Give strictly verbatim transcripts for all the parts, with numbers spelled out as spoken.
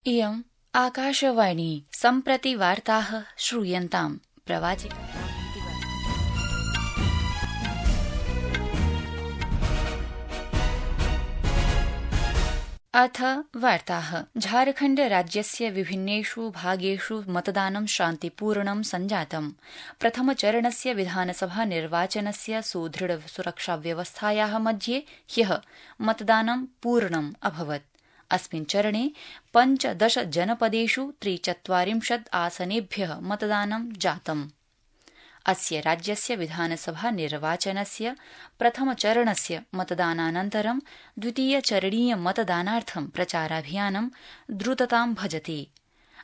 इयम् आकाशवाणी सम्प्रति वार्ताः श्रूयन्ताम् प्रवाचिका अथ वार्ताः। झारखण्ड राज्यस्य विभिन्नेषु भागेषु मतदानं शान्तिपूर्णं सञ्जातम्। प्रथमचरणस्य विधानसभा निर्वाचनस्य सुदृढ सुरक्षाव्यवस्थायाः मध्ये ह्यः मतदानं पूर्णम् अभवत्। अस्मिन् चरणे पञ्चदश जनपदेषु त्रिचत्वारिंशत् आसनेभ्यः मतदानं जातम्। अस्य राज्यस्य विधानसभा निर्वाचनस्य प्रथमचरणस्य मतदानानन्तरं द्वितीयचरणीय मतदानार्थं प्रचाराभियानं द्रुततां भजते।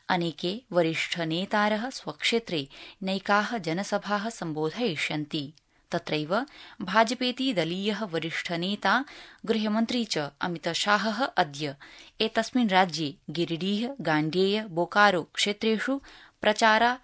अनेके वरिष्ठनेतारः स्वक्षेत्रे नैकाः जनसभाः सम्बोधयिष्यन्ति। तत्रैव भाजपेति दलीयः वरिष्ठनेता गृहमन्त्री च अमितशाहः अद्य एतस्मिन् राज्ये गिरिडीह, गाण्डेय, बोकारो क्षेत्रेषु प्रचारा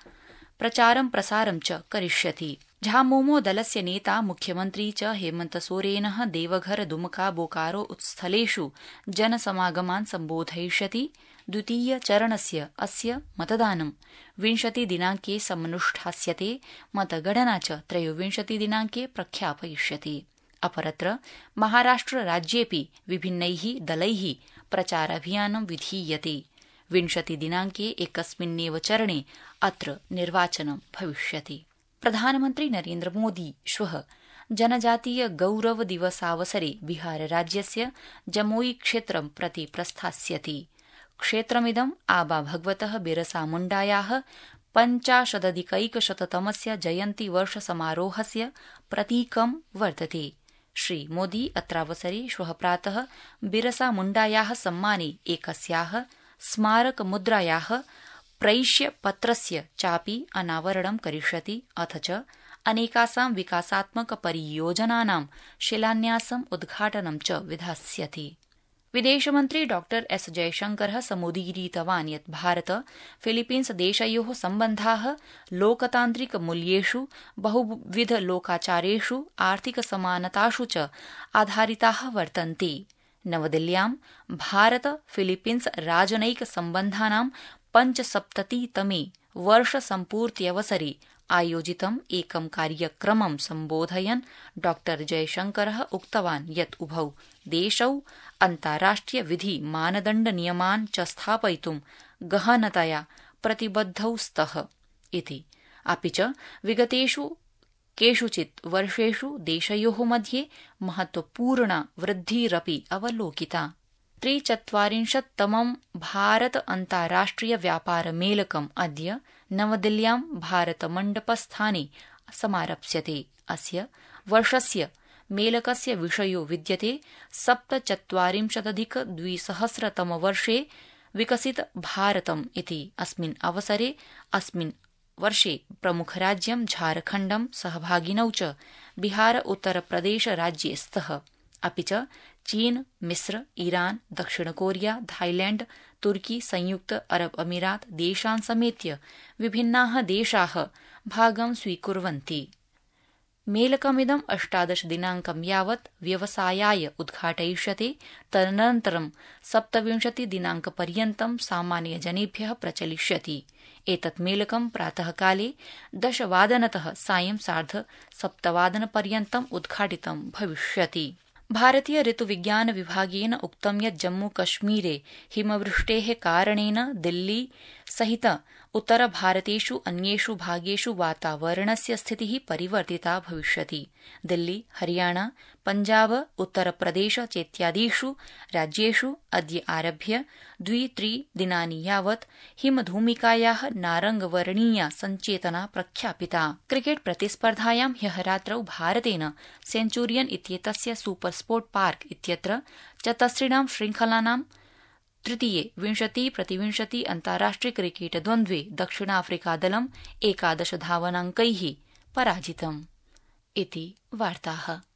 प्रचारं प्रसारं च करिष्यति। झामुमो दलस्य नेता मुख्यमन्त्री च हेमन्तसोरेनः देवघर, दुमका, बोकारो स्थलेषु जनसमागमान् सम्बोधयिष्यति। द्वितीयचरणस्य अस्य मतदानं विंशतिदिनाङ्के समनुष्ठास्यते। मतगणना च त्रयोविंशतिदिनाङ्के प्रख्यापयिष्यति। अपरत्र महाराष्ट्रराज्येऽपि विभिन्नैः दलैः प्रचाराभियानं विधीयते। विंशतिदिनाङ्के एकस्मिन्नेव चरणे अत्र निर्वाचनं भविष्यति। प्रधानमन्त्री नरेन्द्रमोदी श्वः जनजातीय गौरव दिवसावसरे बिहारराज्यस्य जमोई क्षेत्रं प्रति प्रस्थास्यति। क्षेत्रमिदं आबा भगवतः बिरसा मुण्डायाः पञ्चाशदधिकैकशततमस्य जयन्तिवर्षसमारोहस्य प्रतीकं वर्तते। श्रीमोदी अत्रावसरे श्वः प्रातः बिरसा मुण्डायाः सम्माने एकस्याः स्मारकमुद्रायाः प्रैष्यपत्रस्य चापि अनावरणं करिष्यति। अथ च अनेकासां विकासात्मकपरियोजनानां शिलान्यासम् उद्घाटनं च विधास्यति। विदेशमन्त्री डॉ एस जयशंकरः समुदीरितवान् यत् भारत फिलीपीन्स देशयोः सम्बन्धाः लोकतान्त्रिकमूल्येषु, बहुविधलोकाचारेषु, आर्थिकसमानतासु च आधारिताः वर्तन्ते। नवदिल्ल्यां भारत फिलीपीन्स राजनैक सम्बन्धानां पञ्चसप्ततितमे वर्षसम्पूर्त्यवसरे आयोजितम् एकं कार्यक्रमं सम्बोधयन् डॉ जयशंकरः उक्तवान् यत् उभौ देशौ अन्ताराष्ट्रिय विधि मानदण्ड नियमान् च स्थापयितुं गहनतया प्रतिबद्धौ स्तः इति। अपि च विगतेषु केषुचित् वर्षेषु देशयोः मध्ये महत्वपूर्णा वृद्धिरपि अवलोकिता। त्रिचत्वारिंशत्तमं भारत अन्ताराष्ट्रिय व्यापार मेलकम् अद्य नवदिल्ल्यां भारतमण्डपस्थाने समारप्स्यते। अस्य वर्षस्य मेलकस्य विषयो विद्यते सप्तचत्वारिंशदधिक द्विसहस्रतमवर्षे विकसित भारतम् इति। अस्मिन् अवसरे अस्मिन् वर्षे प्रमुखराज्यं झारखण्डं सहभागिनौ च बिहार, उत्तरप्रदेश राज्ये स्तः। अपि च चीन, मिस्र, ईरान, दक्षिणकोरिया, थाईलैण्ड, तुर्की, संयुक्त अरब अमीरात देशान् समेत्य विभिन्नाः देशाः भागं स्वीकुर्वन्ति। मेलकमिदं अष्टादश दिनाङ्कं यावत् व्यवसायाय उद्घाटयिष्यते। तदनन्तरं सप्तविंशति दिनाङ्कपर्यन्तं सामान्यजनेभ्यः प्रचलिष्यति। एतत् मेलकं प्रातःकाले दशवादनतः सायं सार्ध सप्तवादनपर्यन्तम् उद्घाटितं भविष्यति। भारतीय ऋतुविज्ञान विभागेन उक्तं यत् जम्मूकश्मीरे हिमवृष्टेः कारणेन दिल्ली सहित उत्तरभारतेषु अन्येषु भागेषु वातावरणस्य स्थितिः परिवर्तिता भविष्यति। दिल्ली, हरियाणा, पञ्जाब, उत्तरप्रदेश चेत्यादिषु राज्येषु अद्य आरभ्य द्वि त्रि दिनानि यावत् हिमधूमिकायाः नारङ्गवर्णीया सञ्चेतना प्रख्यापिता। क्रिकेट् प्रतिस्पर्धायां ह्यः रात्रौ भारतेन सेञ्चुरियन् इत्येतस्य सुपर स्पोर्ट् पार्क इत्यत्र चतस्रिणां श्रृङ्खलानां तृतीये विंशति प्रतिविंशति अन्ताराष्ट्रिय क्रिकेट द्वन्द्वे दक्षिणाफ्रिकादलम् एकादश धावनाङ्कैः पराजितम् इति वार्ताः।